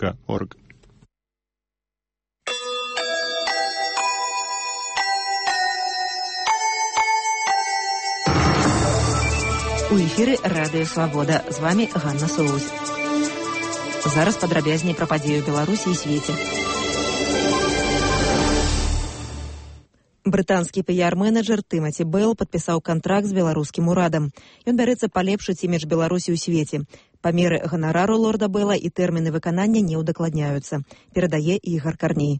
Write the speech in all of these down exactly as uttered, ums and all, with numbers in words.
кропка орг. У эфіры Радыё Свабода. З вами Ганна Соус. Зараз падрабязней пра падзею Беларусі і свеце. Брытанскі піяр-менеджер Тымаці Бэл падпісаў кантракт з беларускім урадам. Ён бярэцца палепшыць імідж Беларусі ў свеце. Памеры ганарару лорда Бэла і тэрміны выканання не ўдакладняюцца. Перадае Ігар Карней.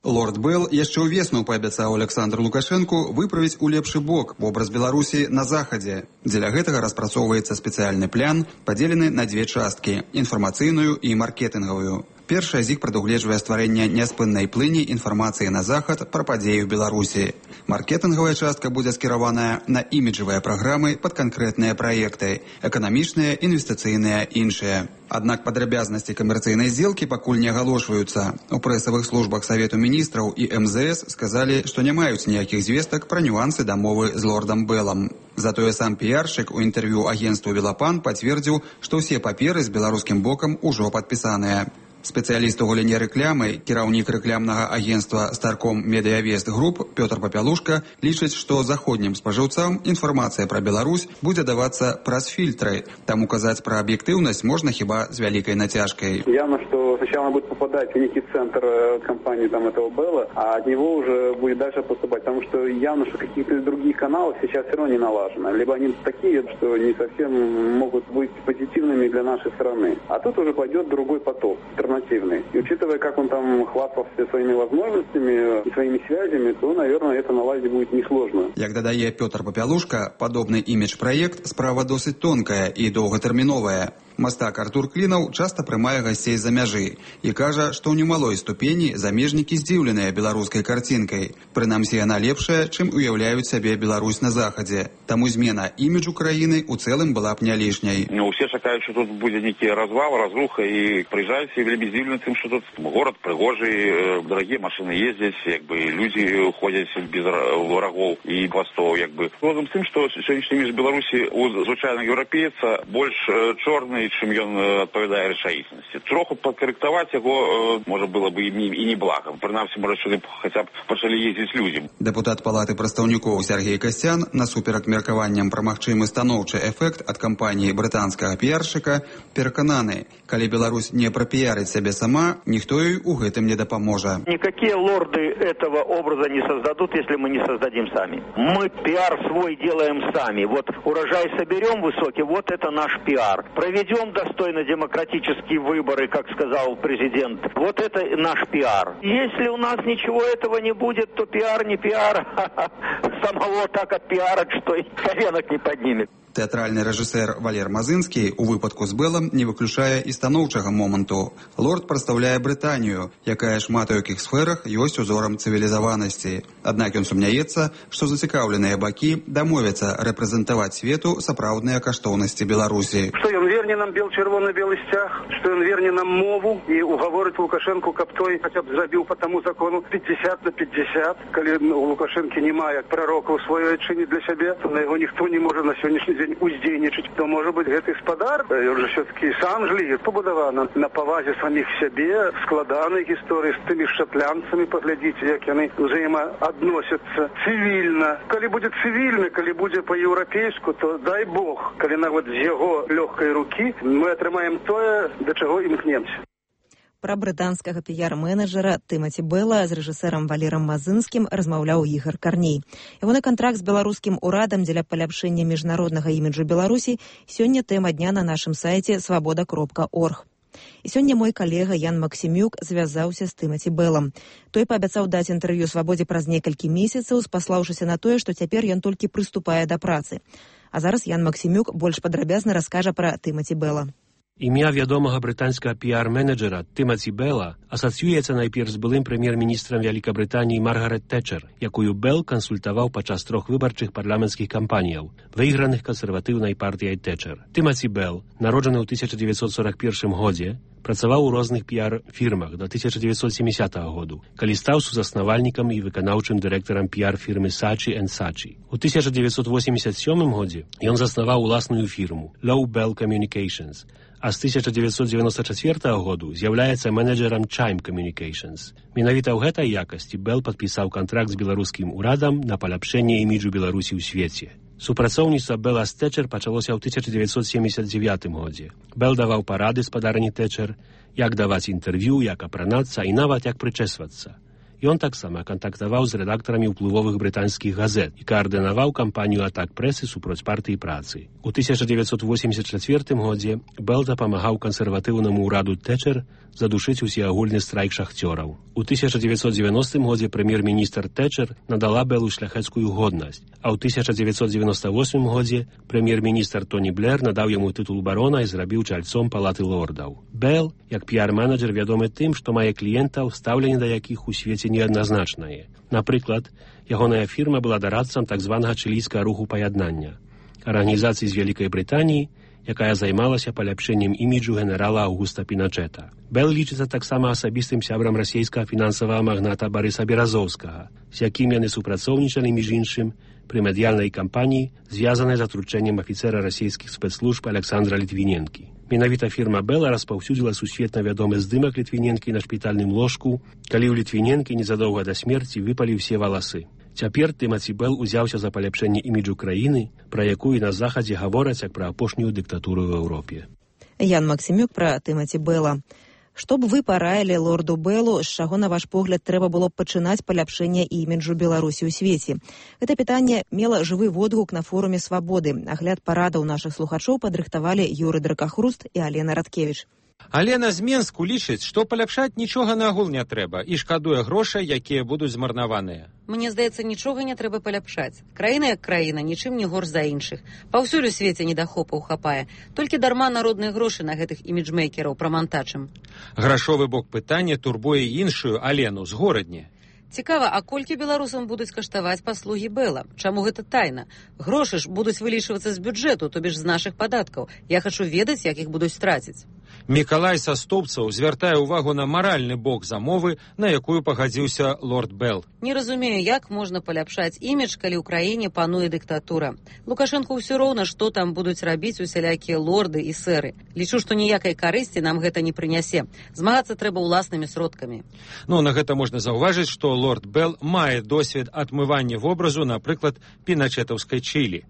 Лорд Бэл яшчэ ўвесну паабяцаў Александру Лукашэнку выправіць у лепшы бок вобраз Беларусі на захадзе. Дзеля гэтага распрацоўваецца спецыяльны план, падзелены на дзве часткі – інфармацыйную і маркетынгавую. Першая з іх прадугледжвае стварэнне няспыннай плыні інфармацыі на захад пра падзею Беларусі. Маркетынгавая частка будзе скіраваная на іміджавыя праграмы пад канкрэтныя праекты – эканамічныя, інвестыцыйныя, іншыя. Аднак падрабязнасці камерцыйнай здзелкі пакуль не агалошваюцца. У прэсавых службах Савету міністраў і эм зэ эс сказалі, што не маюць ніякіх звестак пра нюансы дамовы з лордам Бэлам. Затое сам піяршчык у інтэрв'ю агенцтву «Велапан» пацвердзіў, што ўсе паперы з беларускім бокам ужо падпісаныя. Спецыяліст у галіне рэклямы, кіраўнік рэклямнага агенцтва «Старком Медыявест Груп» Пётр Папялушка лічыць, што заходнім спажыўцам інфармацыя пра Беларусь будзе давацца праз фільтры. Таму казаць пра аб'ектыўнасць можна хіба з вялікай нацяжкой. Явно, что сначала будет попадать в некий центр компании там этого Белла, а от него уже будет дальше поступать. Потому что явно, что какие-то другие каналы сейчас все равно не налажены. Либо они такие, что не совсем могут быть позитивными для нашей страны. А тут уже пойдет другой поток, альтернативный. И учитывая, как он там хвастался своими возможностями и своими связями, то, наверное, это наладить будет несложно. Як дадае Пётр Папялушка, падобны імідж-праект справа досыць тонкая і доўгатэрміновая. Мастак Артур Клінаў часта прымае гасцей за мяжы і кажа, што ў немалой ступені замежнікі здзіўленыя беларускай карцінкай. Прынамсі, яна лепшая, чым уяўляюць сабе Беларусь на захадзе. Таму змена іміджу краіны ў цэлым была б не лішняй. Ну, усе чакаюць, што тут будзе нейкі развал, разруха, і прыязджаюць і вельмі здзіўлены тым, што тут горад прыгожы, дарагія машыны ездзяць, як бы людзі ходзяць без врагоў і хвастоў, як бы. Разам з тым, што сённяшні імідж Беларусі у звычайнага еўрапейца больш чорны, чым ён адпавядае рэчаіснасці. Троху падкарэктаваць яго можа было бы і не блага. Прынамсі, можа, сюды хаця б пачалі ездзіць людзям. Дэпутат Палаты прадстаўнікоў Сергей Касцян насуперак меркаванням пра магчымы станоўчы эфект ад кампаніі брытанскага піяршчыка перакананы, калі Беларусь не прапіярыць сябе сама, ніхто ёй у гэтым не дапаможа. Никакие лорды этого образа не создадут, если мы не создадим сами. Мы пиар свой делаем сами. Вот урожай соберем высокий, вот это наш пиар. Проведем достойно демократические выборы, как сказал президент. Вот это наш пиар. Если у нас ничего этого не будет, то пиар не пиар. Самого так отпиарят, что и коленок не поднимет. Тэатральны рэжысэр Валер Мазынскі у выпадку з Бэлам не выключае і станоўчага моманту. Лорд прадстаўляе Брытанію, якая шмат у якіх сферах ёсць узорам цывілізаванасці. Аднак ён сумняецца, што зацікаўленыя бакі дамовяцца рэпрэзентаваць свету сапраўдныя каштоўнасці Беларусі. Што ён верне нам бел-чырвоны-белы сцяг, што ён верне нам мову і угаворыць Лукашэнку, каб той хаця б зрабіў по таму закону пятьдесят на пятьдесят. Калі у Лукашэнкі няма як прарока ў сваёй адчыне для сябе, то на яго ніхто не можа на сённяшні дзень уздзейнічаць, то можа быць гэты гаспадар, ён жа все-таки сам жлі, пабудавана на павазе саміх сябе, складанай гісторыі з тымі шатлянцамі, паглядзіце, як яны взаемаадносяцца цывільна. Калі будзе цывільна, калі будзе па-еўрапейску, то дай Бог, калі нават з яго лёгкай рукі мы атрымаем тое, да чаго імкнемся. Пра брытанскага піяр-менеджера Тымаці Бэла з рэжысэрам Валерам Мазынскім размаўляў Ігар Карней. Ягоны кантракт з беларускім урадам дзеля паляпшэння міжнароднага іміджу Беларусі сёння тэма дня на нашым сайце свабода кропка орг. І сёння мой калега Ян Максімюк звязаўся з Тымаці Бэлам. Той паабяцаў даць інтэрв'ю свабодзе праз некалькі месяцаў, спаслаўшыся на тое, што цяпер ён толькі прыступае да працы. А зараз Ян Максімюк больш падрабязна раскажа пра Тымаці Бэла. Ім'я вядомага брытанскага піяр-менеджера Тымаці Бэла асацыюецца найперш з былым прэм'ер-міністрам Вялікабрытаніі Маргарет Тэчэр, якую Бэл кансультаваў падчас трох выбарчых парламенцкіх кампаніяў, выйграных кансерватыўнай партыяй Тэчэр. Тымаці Бэл, народжаны ў тысяча дзевяцьсот сорок першым годзе, працаваў у розных піяр-фірмах да тысяча дзевяцьсот сямідзясятага году, калі стаў сузаснавальнікам і выканаўчым дырэктарам піяр-фірмы Saatchi and Saatchi. У тысяча дзевяцьсот восемьдесят сёмым годзе ён заснаваў уласную фірму Low Bell Communications, а з тысяча дзевяцьсот дзевяносто чацвёртага году з'яўляецца менеджерам Chime Communications. Менавіта ў гэтай якасці Бэл падпісаў кантракт з беларускім урадам на паляпшэнне іміджу Беларусі ў свеце. Супрацоўніцтва Бэла з Тэчэр пачалося ў тысяча дзевяцьсот семьдесят девятым годзе. Бэл даваў парады спадарні Тэчэр, як даваць інтэрв'ю, як апранацца і нават як прычэсвацца. Ён таксама кантактаваў з рэдактарамі ўплывовых брытанскіх газет і каардынаваў кампанію атак прэсы супроць партыі працы. У тысяча дзевяцьсот восемьдесят чацвёртым годзе Бэл дапамагаў кансерватыўнаму ўраду Тэчэр задушыць усеагульны страйк шахцёраў. У тысяча дзевяцьсот девяностым годзе прэм'ер-міністр Тэчэр надала Бэлу шляхецкую годнасць, а ў тысяча дзевяцьсот девяносто восьмым годзе прэм'ер-міністр Тоні Блэр надаў яму тытул барона і зрабіў чальцом палаты лордаў. Бэл, як піар-менеджер, вядомы тым, што мае кліентаў, стаўленне да якіх у свеце неадназначнае. Напрыклад, ягоная фірма была дарадцам так званага чылійскага руху паяднання, арганізацыі з Вялікай Брытаніі, якая займалася паляпшэннем іміджу генерала Аўгуста Піначэта. Бэл лічыцца таксама асабістым сябрам расійскага фінансавага магната Барыса Беразоўскага, з якім яны супрацоўнічалі, між іншым, пры медыяльнай кампаніі, звязанай з атручэннем афіцэра расійскіх спецслужб Александра Літвіненкі. Менавіта фірма Бэла распаўсюдзіла сусветна вядомы здымак Літвіненкі на шпітальным ложку, калі ў Літвіненкі незадоўга да смерці выпалі ўсе валасы. Цяпер Тымаці Бэл узяўся за паляпшэнне іміджу краіны, пра якую на Захадзе гавораць як пра апошнюю дыктатуру ў Еўропе. Ян Максімюк пра Тымаці Бэла. Што б вы параілі лорду Бэлу, з чаго, на ваш погляд, трэба было б пачынаць паляпшэнне іміджу Беларусі ў свеце? Гэта пытанне мела жывы водгук на форуме «Свабоды». Агляд парадаў нашых слухачоў падрыхтавалі Юры Дракахруст і Алена Радкевіч. Алена з Менску лічыць, што паляпшаць нічога нагул не трэба і шкадуе грошай, якія будуць змарнаваныя. Мне здаецца, нічога не трэба паляпшаць. Краіна як краіна, нічым не горш за іншых. Паўсюль у свеце недахопаў хапае. Толькі дарма народныя грошы на гэтых іміджмейкераў прамантачым. Грашовы бок пытання турбуе іншую Алену з горадні. Цікава, а колькі беларусам будуць каштаваць паслугі Бэла? Чаму гэта тайна? Грошы ж будуць вылічвацца з бюджэту, то бишь з нашых падаткаў. Я хачу ведаць, як іх будуць траціць. Мікалай са Стопцаў звяртае ўвагу на маральны бок замовы, на якую пагадзіўся лорд Бэл. Не разумею, як можна паляпшаць імідж, калі ў краіне пануе дыктатура. Лукашэнку ўсё роўна, што там будуць рабіць усялякія лорды і сэры. Лічу, што ніякай карысці нам гэта не прынясе. Змагацца трэба ўласнымі сродкамі. Ну, на гэта можна заўважыць, што лорд Бэл мае досвед адмывання вобразу, напрыклад, піначэтаўскай Чылі.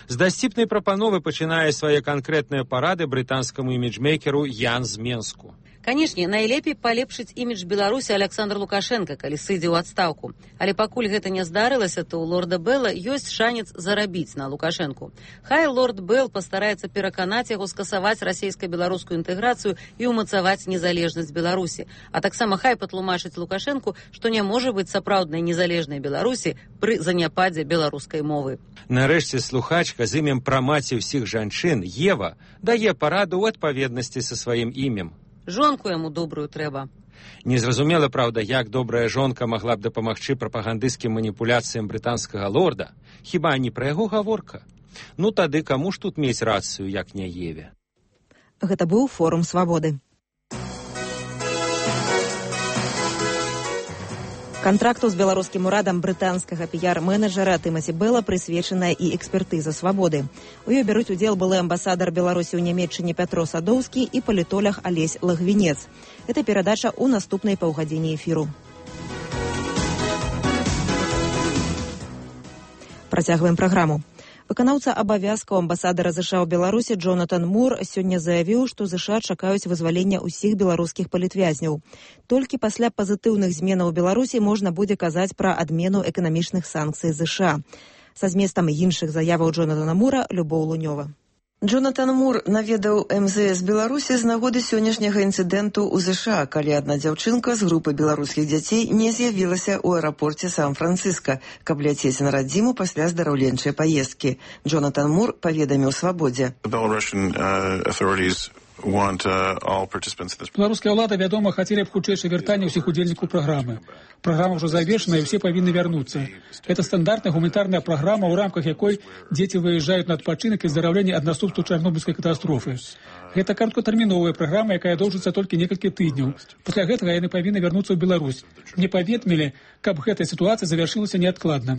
З дасціпнай прапановы пачынае свае канкрэтныя парады брытанскаму іміджмейкеру Ян з Менску. Канешне, найлепей палепшыць імідж Беларусі Александр Лукашенко, калі сыдзе ў адстаўку. Але пакуль гэта не здарылася, то ў лорда Бэла ёсць шанец зарабіць на Лукашэнку. Хай лорд Бэл пастараецца пераканаць яго скасаваць расійска-беларускую інтэграцыю і ўмацаваць незалежнасць Беларусі. А таксама хай патлумачыць Лукашэнку, што не можа быць сапраўднай незалежнай Беларусі пры заняпадзе беларускай мовы. Нарэшце слухачка з імем прамаці ўсіх жанчын, Ева, дае параду ў адпаведнасці са сваім імем. Жонку яму добрую трэба. Незразумела, праўда, як добрая жонка магла б дапамагчы прапагандысцкім маніпуляцыям брытанскага лорда. Хіба не пра яго гаворка? Ну тады каму ж тут мець рацыю, як не Еве? Гэта быў форум «Свабоды». Кантракту з беларускім урадам брытанскага піяр-менеджера Тымаці Бэла прысвечаная і экспертыза «Свабоды». У ёй бяруць удзел былы амбасадар Беларусі ў Нямецчыне Пятро Садоўскі і палітолог Алесь Лагвінец. Гэта перадача ў наступнай паўгадзіне эфіру. Працягваем праграму. Выканаўца абавязкаў амбасадара ЗША ў Беларусі Джонатан Мур сёння заявіў, што ЗША чакаюць вызвалення ўсіх беларускіх палітвязняў. Толькі пасля пазітыўных зменаў у Беларусі можна будзе казаць пра адмену эканамічных санкцый ЗША. Са зместам іншых заяваў Джонатана Мура Любоў Лунёва. Джонатан Мур наведаў эм зэ эс Беларусі з нагоды сённяшняга інцыдэнту ў ЗША, калі адна дзяўчынка з групы беларускіх дзяцей не з'явілася ў аэрапорце Сан-Францыска, каб ляцець на радзіму пасля здараўленчай паездкі. Джонатан Мур паведаміў «Свабодзе». Беларуская ўлада, вядома, хацелі б хутчэйшае вяртанне ўсіх удзельнікаў праграмы. Праграма ўжо завершана, і ўсе павінны вярнуцца. Гэта стандартная гуманітарная праграма, у рамках якой дзеці выязджаюць на адпачынак і здараўленне ад наступстваў чарнобыльскай катастрофы. Гэта кароткатэрміновая праграма, якая доўжыцца толькі некалькі тыдняў. Пасля гэтага яны павінны вярнуцца ў Беларусь. Мне паведамілі, каб гэтая сітуацыя завяршылася неадкладна.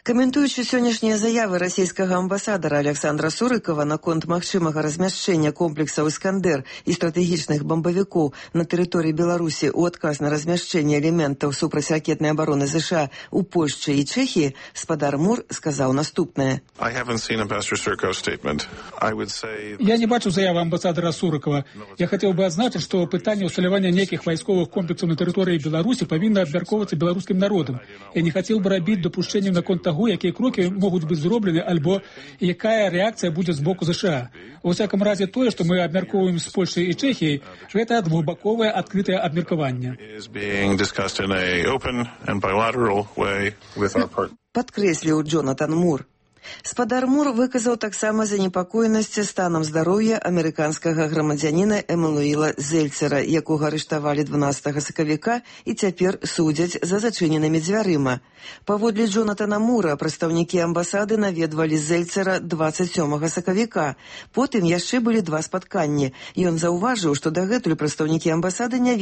Каментуючы сённяшнія заявы расійскага амбасадара Александра Сурыкова наконт магчымага размяшчэння комплексаў «Іскандер» і стратэгічных бамбавікоў на тэрыторыі Беларусі ў адказ на размяшчэнне элементаў супрацьракетнай абароны ЗША ў Польшчы і Чэхіі, спадар Мур сказаў наступнае. Я не бачу заявы амбасадара Сурыкова. Я хацеў бы адзначыць, што пытанне ўсталявання нейкіх вайсковых комплексаў на тэрыторыі Беларусі павінна абмяркоўвацца беларускім народам. Я не хацеў бы рабіць дапушчэнняў наконт таго, якія крокі могуць быць зроблены, альбо якая рэакцыя будзе з боку ЗША. У всяком разе тое, што мы абмяркоўваем з Польшай і Чэхіяй, гэта двухбаковае адкрытае абмеркаванне. Падкрэсліў Джонатан Мур. Спадар Мур выказаў таксама занепакоенасць станам здароўя амерыканскага грамадзяніна Эмануіла Зельцера, якога арыштавалі дванаццатага сакавіка і цяпер судзяць за зачыненымі дзвярыма. Паводле Джонатана Мура, прадстаўнікі амбасады наведвалі Зельцера дваццаць сёмага сакавіка. Потым яшчэ былі два спатканні. Ён заўважыў, што дагэтуль прадстаўнікі амбасады не